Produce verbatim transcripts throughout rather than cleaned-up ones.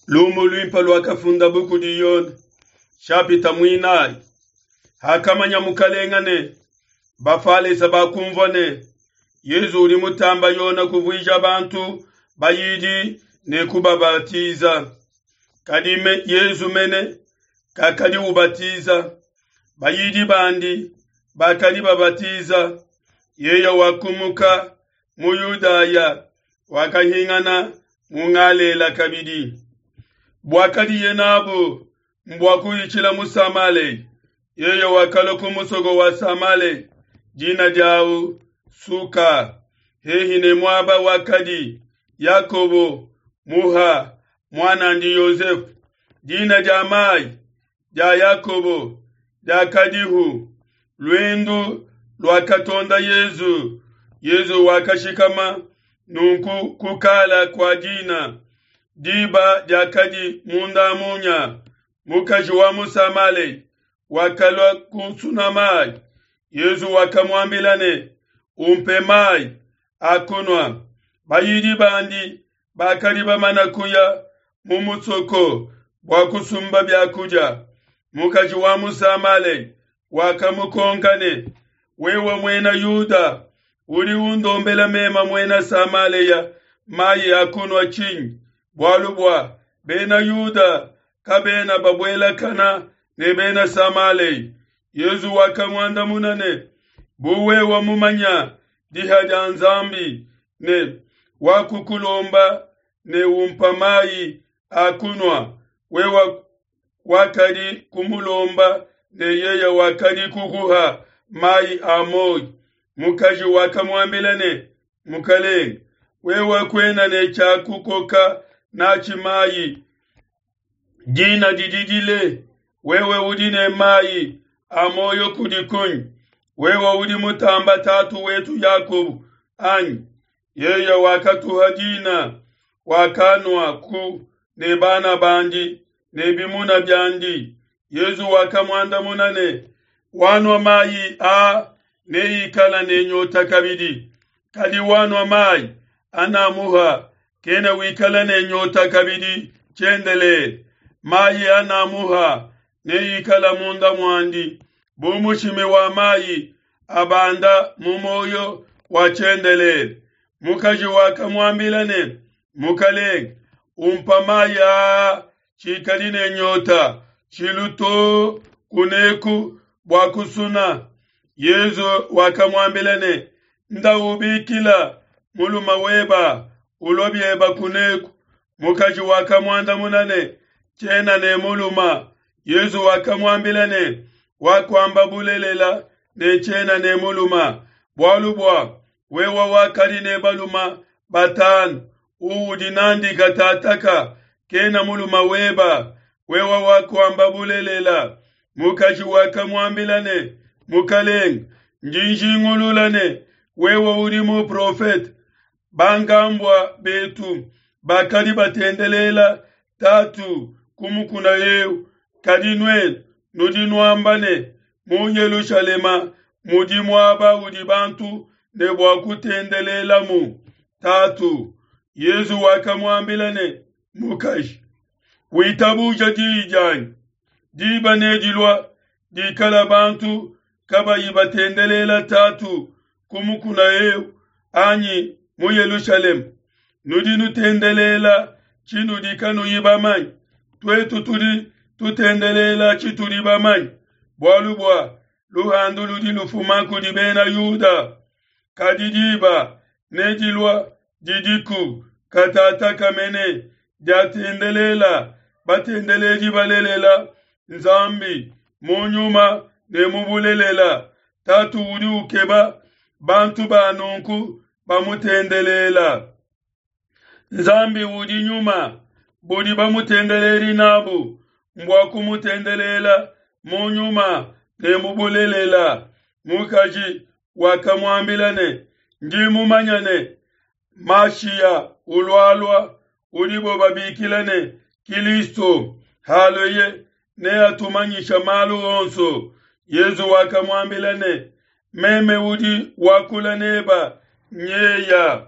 Lumu luimpe luakafundabu kudi Yone, shapita muinayi. Hakamanya mukalenga ne Bafalesa bakumvua ne Yezu udi mutamba Yone kuvuija bantu bayidi ne kubabatiza. Kadi me, Yezu mene kakadi ubatiza, bayidi bandi bakadi babatiza. Yeye wakumuka mu Yudaya, wakahingana mu Galela kabidi. Buakadiye nabu mbua kuhitshila mu Samalea. Yeye wakalua ku musoko wa Samalea, dina diawu Suka, hehi ne muaba wakadi Yakobo muha muan'andi Yosefe. Dina dia mai dia Yakobo diakadihu. Luendu luakatonda Yezu. Yezu wakashikama nunku ku kala kua dina. Diba diakadi munda munya. Mukaji wa mu Samalea wakalua kusuna mai. Yezu wakamuambila ne, umpe mai a kunua. Bayidi bandi bakadi bamana kuya mu musoko bua kusumba biakudia. Mukaji wa mu Samalea wakamukonka ne, wewe muena Yuda udi undombela mema muena Samalea mai a kunua tshinyi? Bualu bua bena Yuda kabena babuelakana ne bena Samalea. Yezu wakamuandamuna ne, bu wewe mumanya diha dia Nzambi ne wakukulomba ne umpa mai a kunua, wewe wakadi kumulomba ne yeye wakadi kukuha mai a muoyo. Mukaji wakamuambila ne, Mukalenge, wewe kuena ne tshia kukoka natshi mai, dina didi dile, wewe udi ne mai a muoyo kudi kunyi? Wewe udi mutamba tatu wetu Yakobo anyi? Yeye wakatuha dina, wakanua ku ne bana bandi ne bimuna biandi. Yezu wakamuandamuna ne, wanua mai a neikala ne nyota kabidi, kadi wanua mai anamuha kena wikala ne nyota kabidi tshiendelele. Mai anamuha neikala munda muandi bu mushimi wa mai abanda mu moyo wa tshiendelele. Mukaji wakamuambila ne, Mukalenge, umpa mai aa tshikadi ne nyota tshilu to kuneku bua kusuna. Yezu wakamuambila ne, nda ubikila muluma weba ulua bieba kuneku. Mukaji wakamuandamuna ne, tshiena ne muluma. Yezu wakamuambila ne, wakuamba bulelela ne tshiena ne muluma, bualu bua wewe wakadi ne baluma batanu, uudi nandi katataka kena muluma weba, wewe wakuamba bulelela. Mukaji wakamuambila ne, Mukalenge, ndi njingulula ne wewe udi muprofete. Bankambua betu bakadi batendelela tatu ku mukuna eu, kadi nuenu nudi nuamba ne mu Yelushalema mudi muaba udi bantu ne bua kutendelelamu tatu. Yezu wakamuambila ne, mukaji, witabuja diyi dianyi, diba nedilua dikala bantu kabayi batendelela tatu ku mukuna eu anyi mu Yelushalema. Nudi nutendelela tshinudi kanuyi bamanye, tuetu tudi tutendelela tshitudi bamanye, bualu bua luhandu ludi lufuma kudi bena Yuda. Kadi diba nedilua didiku katataka mene diatendelela batendeledi balelela Nzambi mu nyuma ne mu bulelela. Tatu udi ukeba bantu ba nunku bamutendelela. Nzambi udi nyuma, budi bamutendeledi nabu mbua kumutendelela mu nyuma ne mu bulelela. Mukaji wakamuambila ne, ndi mumanya ne Mashiya ulualua udibo babikila ne Kilisto, halueye neatumanyisha malu onso. Yezu wakamuambila ne, meme udi wakula neba nyeya.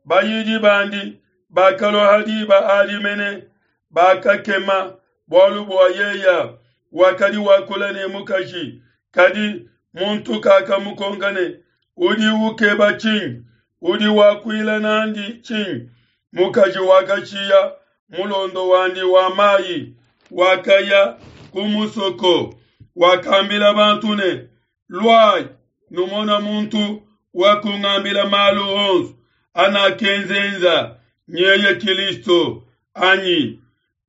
Bayidi bandi bakalua ha diba adi mene, Bakakema bualu bua yeya wakadi wakula ne mukaji, kadi muntu kakamukonka ne, udi ukeba tshinyi? Udi wakuila nandi tshinyi? Mukaji wakashiya mulondo wandi wa mayi, wakaya ku musoko, wakambila bantu ne, luayi numona muntu wakungambila malu onso anakenzenza, nyeye Kilisto anyi?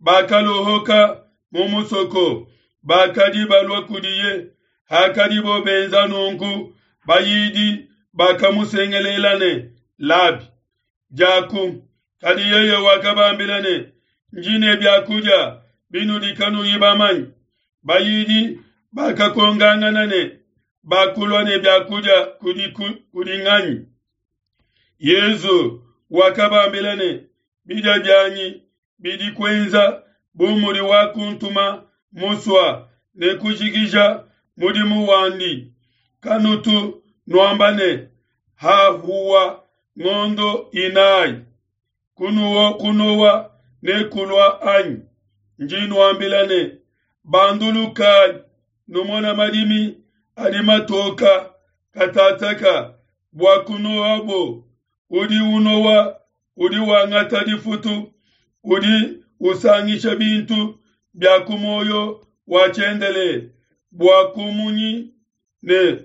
Bakalohoka mu musoko, bakadi balua kudiye. Hakadibo benza nunku, bayidi bakamusengelela ne, Labi, diaku. Kadi yeye wakabambila ne, ndi ne biakudia binudi kanuyi bamanye. Bayidi bakakongangana ne, bakulua ne biakudia kudi, kudi nganyi? Yezu wakabambila ne, bidia bianyi bidi kuenza bu mudi wakuntuma musua ne kujikija mudimu wandi. Kanutu nuamba ne, hahuwa ngondo inayi, kunuo kunowa ne kulua anyi? Ndi nuambila ne, bandulukayi numona madimi adi matoka katataka bua kunoabo. Udi unowa udi wangata difutu, udi usangisha bintu bia ku muoyo wa tshiendelele, bua kumunyi ne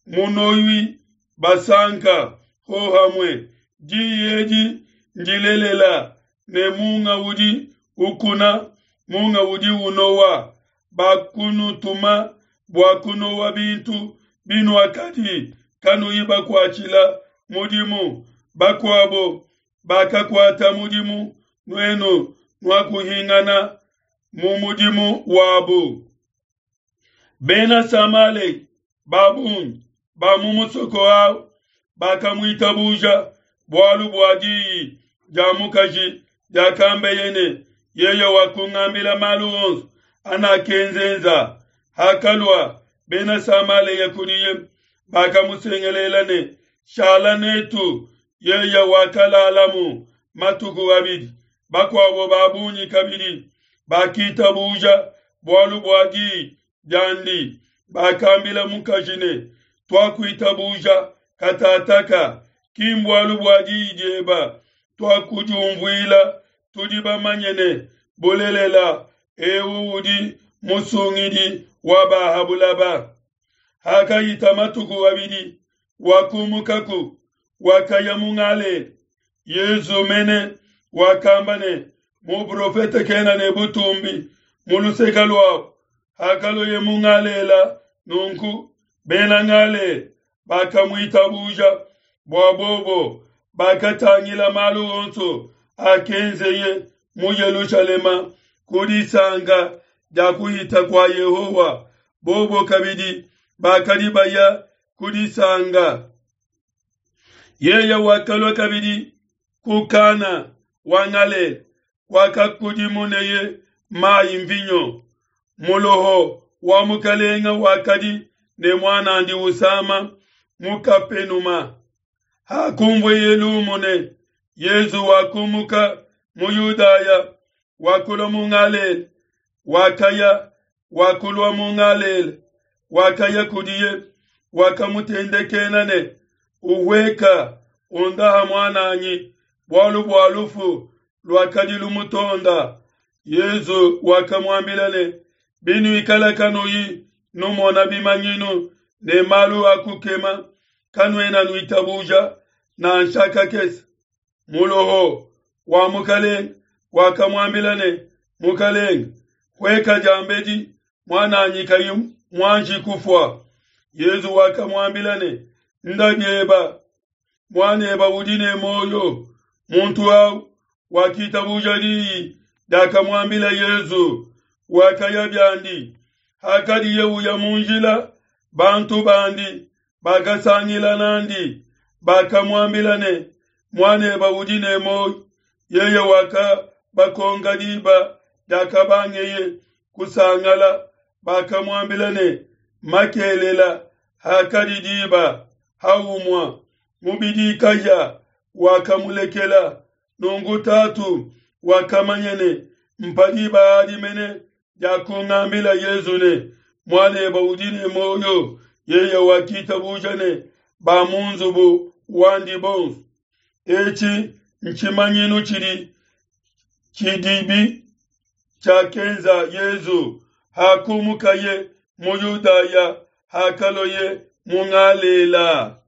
munowi basanka hohamue. Diyi edi ndilelela ne munga udi ukuna, munga udi unowa. Bakunutuma bua kunowa bintu binuakadi kanuyi bakuatshila mudimu. Bakuabo bakakuata mudimu, nuenu nuakuhingana mu mudimu wabu. Bena Samalea ba bungi ba mu musoko awu bakamuitabuja bualu bua diyi dia mukaji diakambeye ne, yeye wakungambila malu onso anakenzenza. Hakalua Bena Samalea kudiye, bakamusengelela ne, shala netu. Yeye wakalalamu matuku abidi. Bakuabo ba bungi kabidi bakitabuja bualu bua diyi diandi. Bakambila mukaji ne, tuakuitabuja katataka, ki mbualu bua diyi dieba, tuakudiumvuila, tudi bamanye ne, bulelela eu udi musungidi wa ba ha bulaba. Hakahita matuku abidi, wakumukaku, wakaya mu Galela. Yezu mene wakamba ne, muprofete kena ne butumbi mu luseke luabo. Hakaloye mu Galela nunku, Bena Galela bakamuitabuja, bua bobo bakatangila malu onso akenzeye mu Yelushalema ku disanka dia kuhita kua Yehowa. Bobo kabidi bakadi baya ku disanka. Yeye wakalua kabidi ku Kana wa Galela, wakakudimuneye mayi mvinyo. Muloho wa mukalenga wakadi ne muanandi usama mu Kapenuma. Hakumvueye lumu ne Yezu wakumuka mu Yudaya, wakulua mu Galela, wakaya wakulua mu Galela, wakaya kudiye, wakamutendekena ne, uhueka undaha muananyi, bualu bua lufu luakadi lumutonda. Yezu wakamuambila ne, binuikala kanuyi numona bimanyinu ne malu a kukema, kanuena nuitabuja nansha kakese. Muloho wa mukalenge wakamuambila ne, mukalenge, hueka diambedi muananyi kayi muanji kufua. Yezu wakamuambila ne, nda bieba, muaneba udi ne muoyo. Muntu au wakitabuja diyi diakamuambila Yezu, wakaya biandi. Hakadiye uya mu njila, bantu bandi bakasangila nandi, bakamuambila ne, muaneba udi ne muoyo. Yeye wakabakonka diba diakabangeye kusangala. Bakamuambila ne, makelela hakadi diba haumua, mubidi kahia wakamulekela. Nunku tatu wakamanya ne Mpa diba adi mene diakungambila Yezu ne, Muanebe udi ne muoyo. Yeye wakitabuja ne ba mu nzubu wandi bonso. Etshi ntshimanyinu tshidi tshidibi tshiakenza Yezu hakumukaye mu Yudaya, hakalueye mu Galela.